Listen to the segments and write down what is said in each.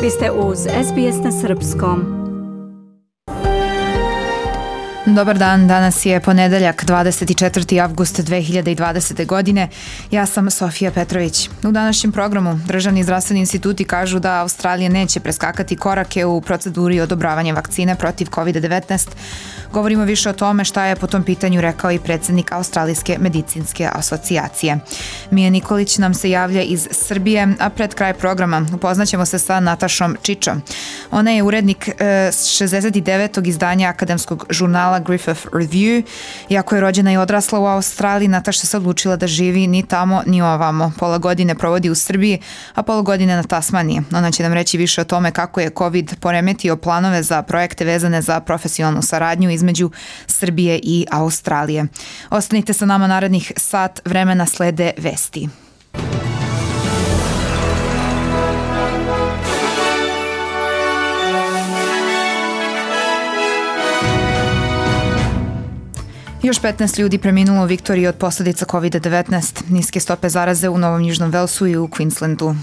Vi ste uz SBS na Srpskom. Dobar dan, danas je ponedeljak 24. avgust 2020. godine. Ja sam Sofija Petrović. U današnjem programu Državni zdravstveni instituti kažu da Australija neće preskakati korake u proceduri odobravanja vakcine protiv COVID-19. Govorimo više o tome šta je po tom pitanju rekao i predsjednik Australijske medicinske asocijacije. Mija Nikolić nam se javlja iz Srbije, a pred kraj programa upoznaćemo se sa Natašom Čičom. Ona je urednik 69. izdanja akademskog žurnala Griffith Review. Iako je rođena i odrasla u Australiji, Nataša se odlučila da živi ni tamo ni ovamo. Pola godine provodi u Srbiji, a pola godine na Tasmaniji. Ona će nam reći više o tome kako je COVID poremetio planove za projekte vezane za profesionalnu saradnju između Srbije i Australije. Ostanite sa nama narednih sat vremena, slede vesti. Još 15 ljudi preminulo u Viktoriji od posljedica COVID-19. Niske stope zaraze u Novom Južnom Velsu i u Queenslandu.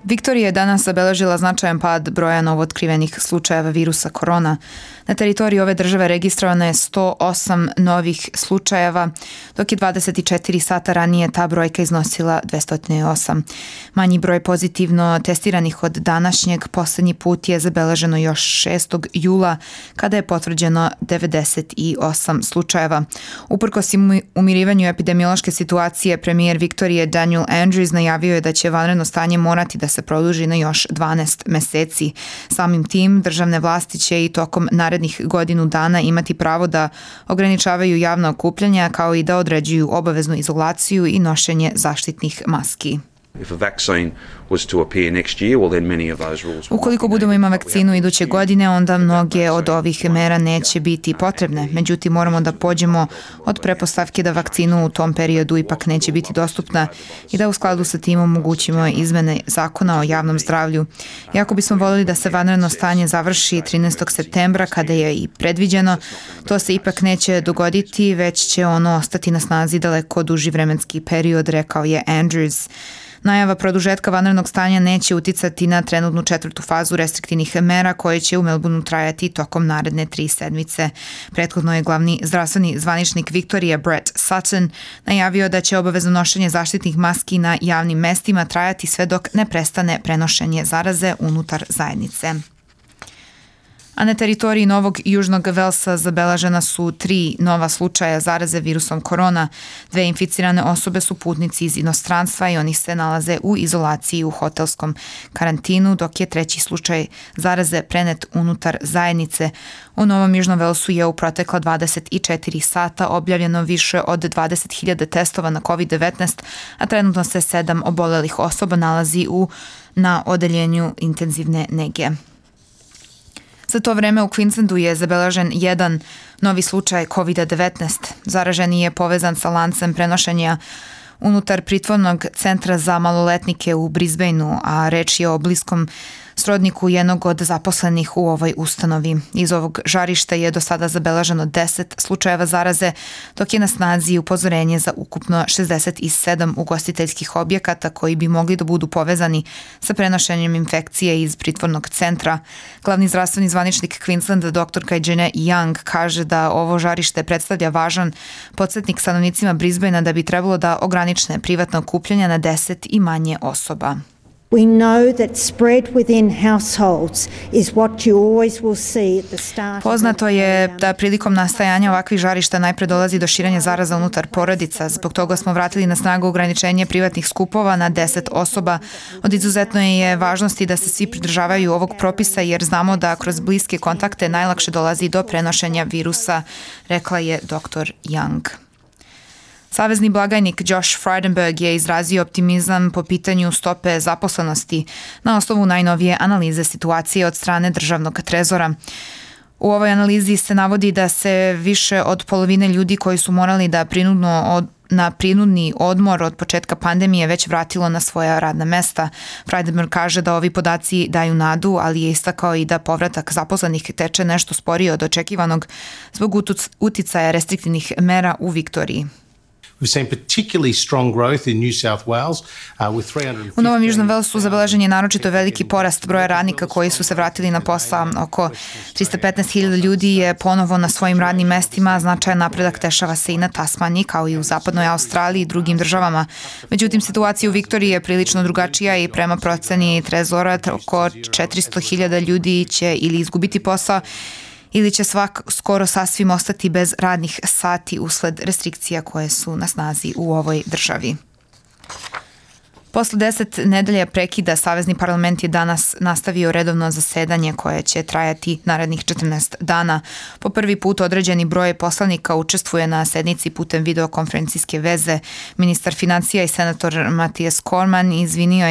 Viktorija je danas zabeležila značajan pad broja novootkrivenih slučajeva virusa korona. Na teritoriji ove države registrovano je 108 novih slučajeva, dok je 24 sata ranije ta brojka iznosila 208. Manji broj pozitivno testiranih od današnjeg posljednji put je zabeleženo još 6. jula, kada je potvrđeno 98 slučajeva. Uprkos umirivanju epidemiološke situacije, premijer Viktorije Daniel Andrews najavio je da će vanredno stanje morati da se produži na još 12 meseci. Samim tim, državne vlasti će i tokom narednih godinu dana imati pravo da ograničavaju javna okupljanja, kao i da određuju obaveznu izolaciju i nošenje zaštitnih maski. Ukoliko budemo imali vakcinu iduće godine, onda mnoge od ovih mera neće biti potrebne. Međutim, moramo da pođemo od pretpostavke da vakcinu u tom periodu ipak neće biti dostupna i da u skladu sa tim omogućimo izmene zakona o javnom zdravlju. Iako bismo voljeli da se vanredno stanje završi 13. septembra, kada je i predviđeno, to se ipak neće dogoditi, već će ono ostati na snazi daleko duži vremenski period, rekao je Andrews. Najava produžetka vanrednog stanja neće uticati na trenutnu 4. fazu restriktivnih mera koje će u Melbourneu trajati tokom naredne 3 sedmice. Prethodno je glavni zdravstveni zvaničnik Viktorije Brett Sutton najavio da će obavezno nošenje zaštitnih maski na javnim mestima trajati sve dok ne prestane prenošenje zaraze unutar zajednice. A na teritoriji Novog Južnog Velsa zabeležena su 3 nova slučaja zaraze virusom korona. 2 inficirane osobe su putnici iz inostranstva i oni se nalaze u izolaciji u hotelskom karantinu, dok je 3. slučaj zaraze prenet unutar zajednice. U Novom Južnom Velsu je u protekla 24 sata objavljeno više od 20.000 testova na COVID-19, a trenutno se 7 obolelih osoba nalazi na odeljenju intenzivne nege. Za to vreme u Queenslandu je zabeležen jedan novi slučaj COVID-19. Zaraženi je povezan sa lancem prenošenja unutar pritvornog centra za maloletnike u Brisbaneu, a reč je o bliskom srodniku jednog od zaposlenih u ovoj ustanovi. Iz ovog žarišta je do sada zabeleženo 10 slučajeva zaraze, dok je na snazi upozorenje za ukupno 67 ugostiteljskih objekata koji bi mogli da budu povezani sa prenošenjem infekcije iz pritvornog centra. Glavni zdravstveni zvaničnik Queenslanda, dr. Kajene Young, kaže da ovo žarište predstavlja važan podsjetnik stanovnicima Brisbanea da bi trebalo da ograniče privatna okupljanja na 10 i manje osoba. We know that spread within households is what you always will see at the start. Poznato je da prilikom nastajanja ovakvih žarišta najpre dolazi do širenja zaraza unutar porodica. Zbog toga smo vratili na snagu ograničenje privatnih skupova na 10 osoba. Od izuzetne je važnosti da se svi pridržavaju ovog propisa jer znamo da kroz bliske kontakte najlakše dolazi do prenošenja virusa, rekla je dr. Young. Savezni blagajnik Josh Frydenberg je izrazio optimizam po pitanju stope zaposlenosti na osnovu najnovije analize situacije od strane državnog trezora. U ovoj analizi se navodi da se više od polovine ljudi koji su morali da prinudno na prinudni odmor od početka pandemije već vratilo na svoja radna mesta. Frydenberg kaže da ovi podaci daju nadu, ali je istakao i da povratak zaposlenih teče nešto sporije od očekivanog zbog uticaja restriktivnih mera u Viktoriji. U Novom Južnom Velsu zabeležen je naročito veliki porast broja radnika koji su se vratili na posao. Oko 315.000 ljudi je ponovo na svojim radnim mestima. Značajan napredak dešava se i na Tasmaniji, kao i u zapadnoj Australiji i drugim državama. Međutim, situacija u Viktoriji je prilično drugačija i prema proceni Trezora oko 400.000 ljudi će ili izgubiti posao ili će skoro sasvim ostati bez radnih sati usled restrikcija koje su na snazi u ovoj državi. Posle 10 nedelja prekida, Savezni parlament je danas nastavio redovno zasedanje koje će trajati narednih 14 dana. Po prvi put određeni broj poslanika učestvuje na sednici putem videokonferencijske veze. Ministar financija i senator Matijas Cormann izjavio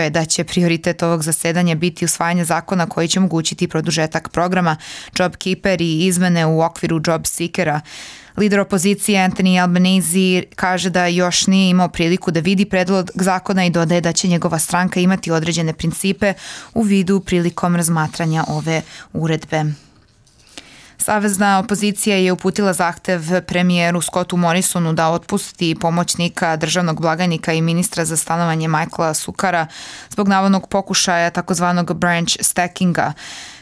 je da će prioritet ovog zasedanja biti usvajanje zakona koji će omogućiti produžetak programa JobKeeper i izmene u okviru JobSeekera. Lider opozicije Anthony Albanese kaže da još nije imao priliku da vidi predlog zakona i dodaje da će njegova stranka imati određene principe u vidu prilikom razmatranja ove uredbe. Savezna opozicija je uputila zahtev premijeru Scottu Morrisonu da otpusti pomoćnika državnog blagajnika i ministra za stanovanje Michaela Sukara zbog navodnog pokušaja takozvanog branch stackinga.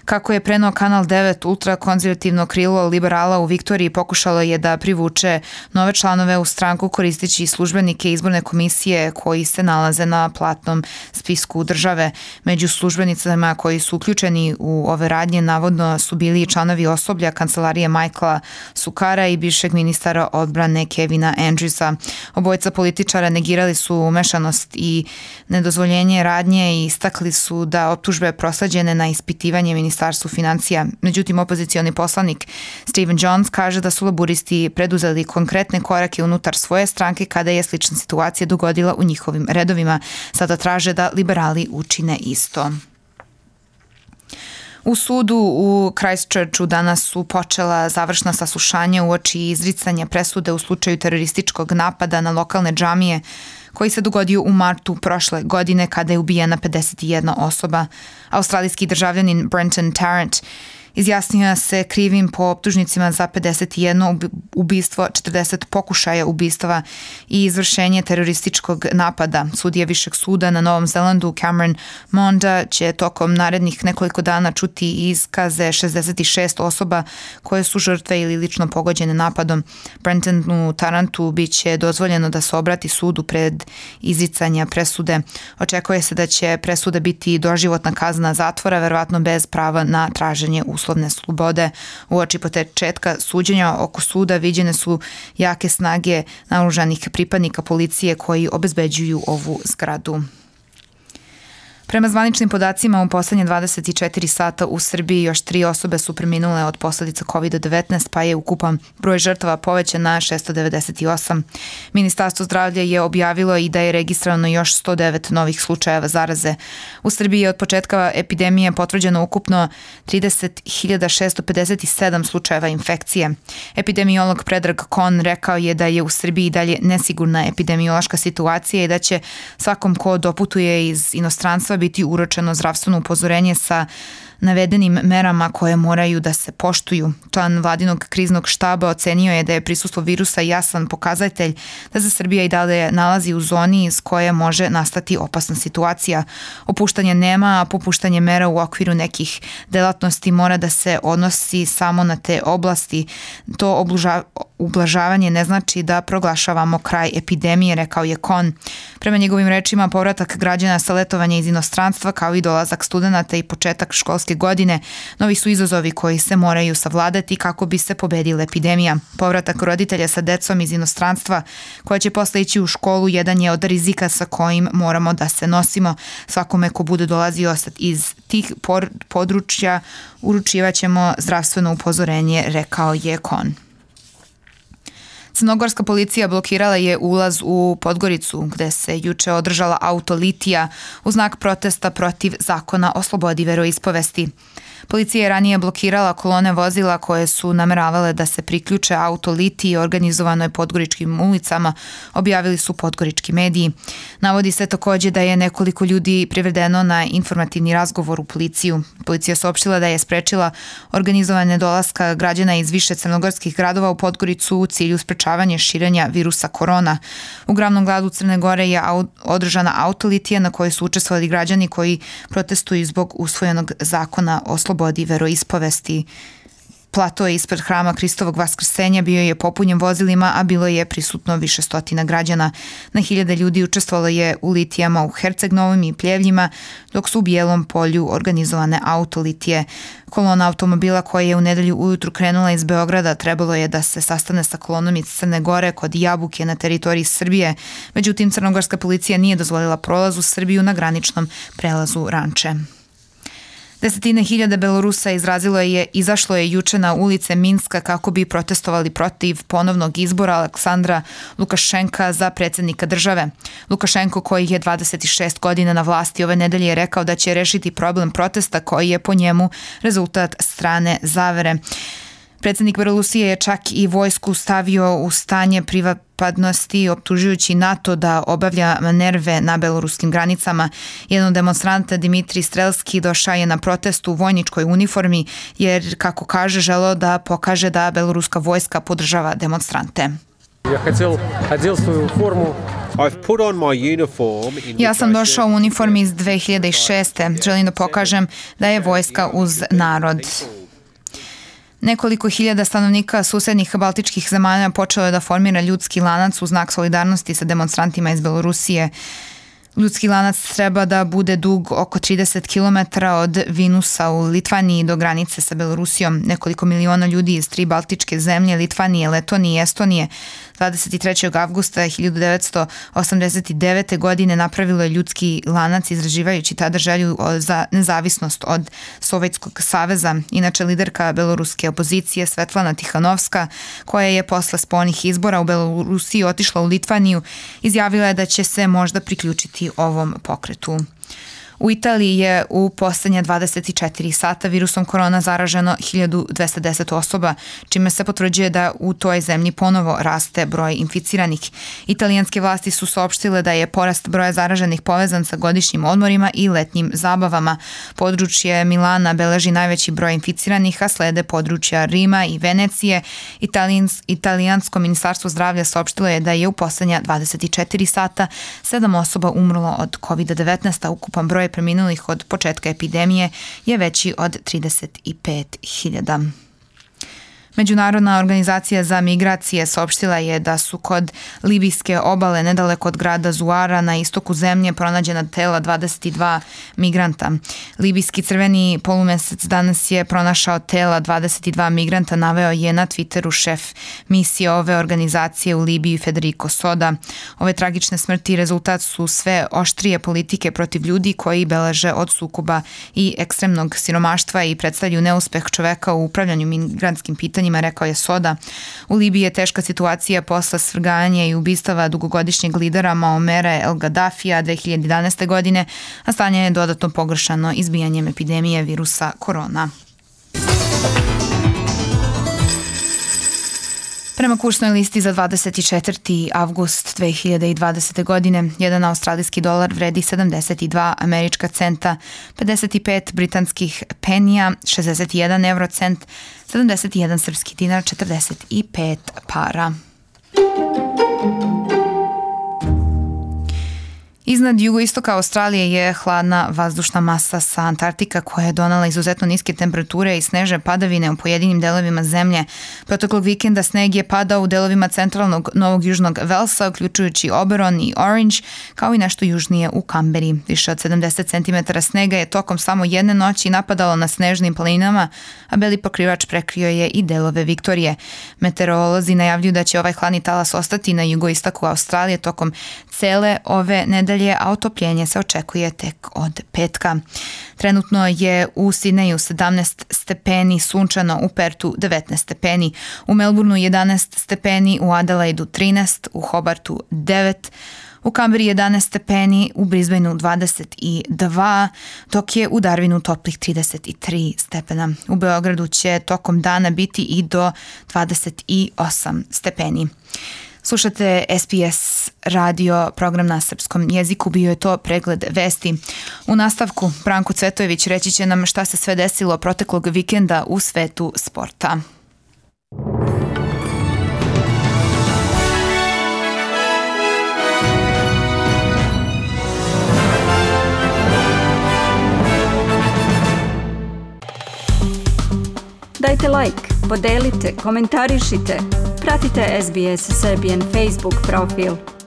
Kako je preneo Kanal 9, ultrakonzervativno krilo liberala u Viktoriji pokušalo je da privuče nove članove u stranku koristeći službenike izborne komisije koji se nalaze na platnom spisku države. Među službenicama koji su uključeni u ove radnje navodno su bili članovi osoblja kancelarije Michaela Sukara i bivšeg ministara odbrane Kevina Andrewsa. Obojica političara negirali su umešanost i nedozvoljenje radnje i istakli su da optužbe prosleđene na ispitivanje Ministarstvu financija. Međutim, opozicioni poslanik Stephen Jones kaže da su laburisti preduzeli konkretne korake unutar svoje stranke kada je slična situacija dogodila u njihovim redovima. Sada traže da liberali učine isto. U sudu u Christchurchu danas su počela završna saslušanja uoči izricanja presude u slučaju terorističkog napada na lokalne džamije koji se dogodio u martu prošle godine kada je ubijena 51 osoba. Australijski državljanin Brenton Tarrant izjasnio se krivim po optužnicima za 51 ubistvo, 40 pokušaja ubistava i izvršenje terorističkog napada. Sudija Višeg suda na Novom Zelandu Cameron Monda će tokom narednih nekoliko dana čuti iskaze 66 osoba koje su žrtve ili lično pogođene napadom. Brentonu Tarrantu biće dozvoljeno da se obrati sudu pred izricanja presude. Očekuje se da će presuda biti doživotna kazna zatvora, verovatno bez prava na traženje uslovne slobode. Uoči početka suđenja oko suda viđene su jake snage naoružanih pripadnika policije koji obezbeđuju ovu zgradu. Prema zvaničnim podacima, u poslednje 24 sata u Srbiji još 3 osobe su preminule od posledica COVID-19, pa je ukupan broj žrtava povećan na 698. Ministarstvo zdravlja je objavilo i da je registrovano još 109 novih slučajeva zaraze. U Srbiji je od početka epidemije potvrđeno ukupno 30.657 slučajeva infekcije. Epidemiolog Predrag Kon rekao je da je u Srbiji dalje nesigurna epidemiološka situacija i da će svakom ko doputuje iz inostranstva biti uručeno zdravstveno upozorenje sa navedenim merama koje moraju da se poštuju. Član vladinog kriznog štaba ocenio je da je prisustvo virusa jasan pokazatelj da se Srbija i dalje nalazi u zoni iz koje može nastati opasna situacija. Opuštanja nema, a popuštanje mera u okviru nekih delatnosti mora da se odnosi samo na te oblasti. To ublažavanje ne znači da proglašavamo kraj epidemije, rekao je Kon. Prema njegovim rečima, povratak građana sa letovanja iz inostranstva kao i dolazak studenata i početak školske godine novi su izazovi koji se moraju savladati kako bi se pobedila epidemija. Povratak roditelja sa decom iz inostranstva koja će posle ići u školu jedan je od rizika sa kojim moramo da se nosimo. Svakome ko bude dolazio iz tih područja uručivaćemo zdravstveno upozorenje, rekao je Kon. Crnogorska policija blokirala je ulaz u Podgoricu, gde se juče održala auto litija u znak protesta protiv zakona o slobodi veroispovesti. Policija je ranije blokirala kolone vozila koje su nameravale da se priključe auto litiji organizovanoj podgoričkim ulicama, objavili su podgorički mediji. Navodi se takođe da je nekoliko ljudi privedeno na informativni razgovor u policiju. Policija saopštila da je sprečila organizovanje dolaska građana iz više crnogorskih gradova u Podgoricu u cilju sprečavanja širenja virusa korona. U glavnom gradu Crne Gore je održana auto litija na kojoj su učestvovali građani koji protestuju zbog usvojenog zakona o slobodi veroispovesti. Plato ispred hrama Hristovog Vaskrsenja bio je popunjen vozilima, a bilo je prisutno više stotina građana. Na hiljade ljudi učestvovalo je u litijama u Herceg-Novom i Pljevljima, dok su u Bijelom Polju organizovane autolitije. Kolona automobila koja je u nedelju ujutru krenula iz Beograda trebalo je da se sastane sa kolonom iz Crne Gore kod Jabuke na teritoriji Srbije. Međutim, crnogorska policija nije dozvolila prolaz u Srbiju na graničnom prelazu Ranče. Desetine hiljada Belorusa izašlo je juče na ulice Minska kako bi protestovali protiv ponovnog izbora Aleksandra Lukašenka za predsjednika države. Lukašenko, koji je 26 godina na vlasti, ove nedelje je rekao da će rešiti problem protesta koji je po njemu rezultat strane zavere. Predsjednik Belorusije je čak i vojsku stavio u stanje pripadnosti, optužujući NATO da obavlja manerve na beloruskim granicama. Jedan od demonstranta, Dimitrij Strelski, došao je na protest u vojničkoj uniformi jer, kako kaže, želeo da pokaže da beloruska vojska podržava demonstrante. Ja sam došao u uniformi iz 2006. Želim da pokažem da je vojska uz narod. Nekoliko hiljada stanovnika susednih baltičkih zemalja počelo je da formira ljudski lanac u znak solidarnosti sa demonstrantima iz Belorusije. Ljudski lanac treba da bude dug oko 30 km od Vilnusa u Litvaniji do granice sa Belorusijom. Nekoliko miliona ljudi iz 3 baltičke zemlje, Litvanije, Letonije i Estonije, 23. avgusta 1989. godine napravilo je ljudski lanac izražavajući tada želju za nezavisnost od Sovjetskog saveza. Inače, liderka beloruske opozicije Svetlana Tihanovska, koja je posle spoljnih izbora u Belorusiji otišla u Litvaniju, izjavila je da će se možda priključiti ovom pokretu. U Italiji je u poslednja 24 sata virusom korona zaraženo 1210 osoba, čime se potvrđuje da u toj zemlji ponovo raste broj inficiranih. Italijanske vlasti su saopštile da je porast broja zaraženih povezan sa godišnjim odmorima i letnjim zabavama. Područje Milana beleži najveći broj inficiranih, a slede područja Rima i Venecije. Italijansko ministarstvo zdravlja saopštilo je da je u poslednja 24 sata 7 osoba umrlo od COVID-19, a ukupan broj preminulih od početka epidemije je veći od 35.000. Međunarodna organizacija za migracije saopštila je da su kod libijske obale nedaleko od grada Zuara na istoku zemlje pronađena tela 22 migranta. Libijski crveni polumesec danas je pronašao tela 22 migranta, naveo je na Twitteru šef misije ove organizacije u Libiji Federico Soda. Ove tragične smrti rezultat su sve oštrije politike protiv ljudi koji beleže od sukoba i ekstremnog siromaštva i predstavljaju neuspeh čoveka u upravljanju migrantskim pitanjima, rekao je Soda. U Libiji je teška situacija posle svrganja i ubistava dugogodišnjeg lidera Muamera El Gaddafija 2011. godine, a stanje je dodatno pogoršano izbijanjem epidemije virusa korona. Prema kursnoj listi za 24. avgust 2020. godine, jedan australijski dolar vredi 72 američka centa, 55 britanskih penija, 61 eurocent, 71 srpski dinar, 45 para. Iznad jugoistoka Australije je hladna vazdušna masa sa Antarktika koja je donela izuzetno niske temperature i snežne padavine u pojedinim delovima zemlje. Proteklog vikenda sneg je padao u delovima centralnog Novog Južnog Velsa, uključujući Oberon i Orange, kao i nešto južnije u Kamberi. Više od 70 cm snega je tokom samo jedne noći napadalo na snežnim planinama, a beli pokrivač prekrio je i delove Viktorije. Meteorolozi najavljuju da će ovaj hladni talas ostati na jugoistoku Australije tokom cele ove nedelje, a otopljenje se očekuje tek od petka. Trenutno je u Sidneju 17 stepeni, sunčano, u Pertu 19 stepeni, u Melbourneu 11 stepeni, u Adelaidu 13, u Hobartu 9, u Kamberi 11 stepeni, u Brisbaneu 22, dok je u Darwinu toplih 33 stepena. U Beogradu će tokom dana biti i do 28 stepeni. Slušate SBS radio, program na srpskom jeziku, bio je to pregled vesti. U nastavku Branko Cvetojević reći će nam šta se sve desilo proteklog vikenda u svetu sporta. Dajte like, podelite, komentarišite. Pratite SBS Serbian Facebook profil.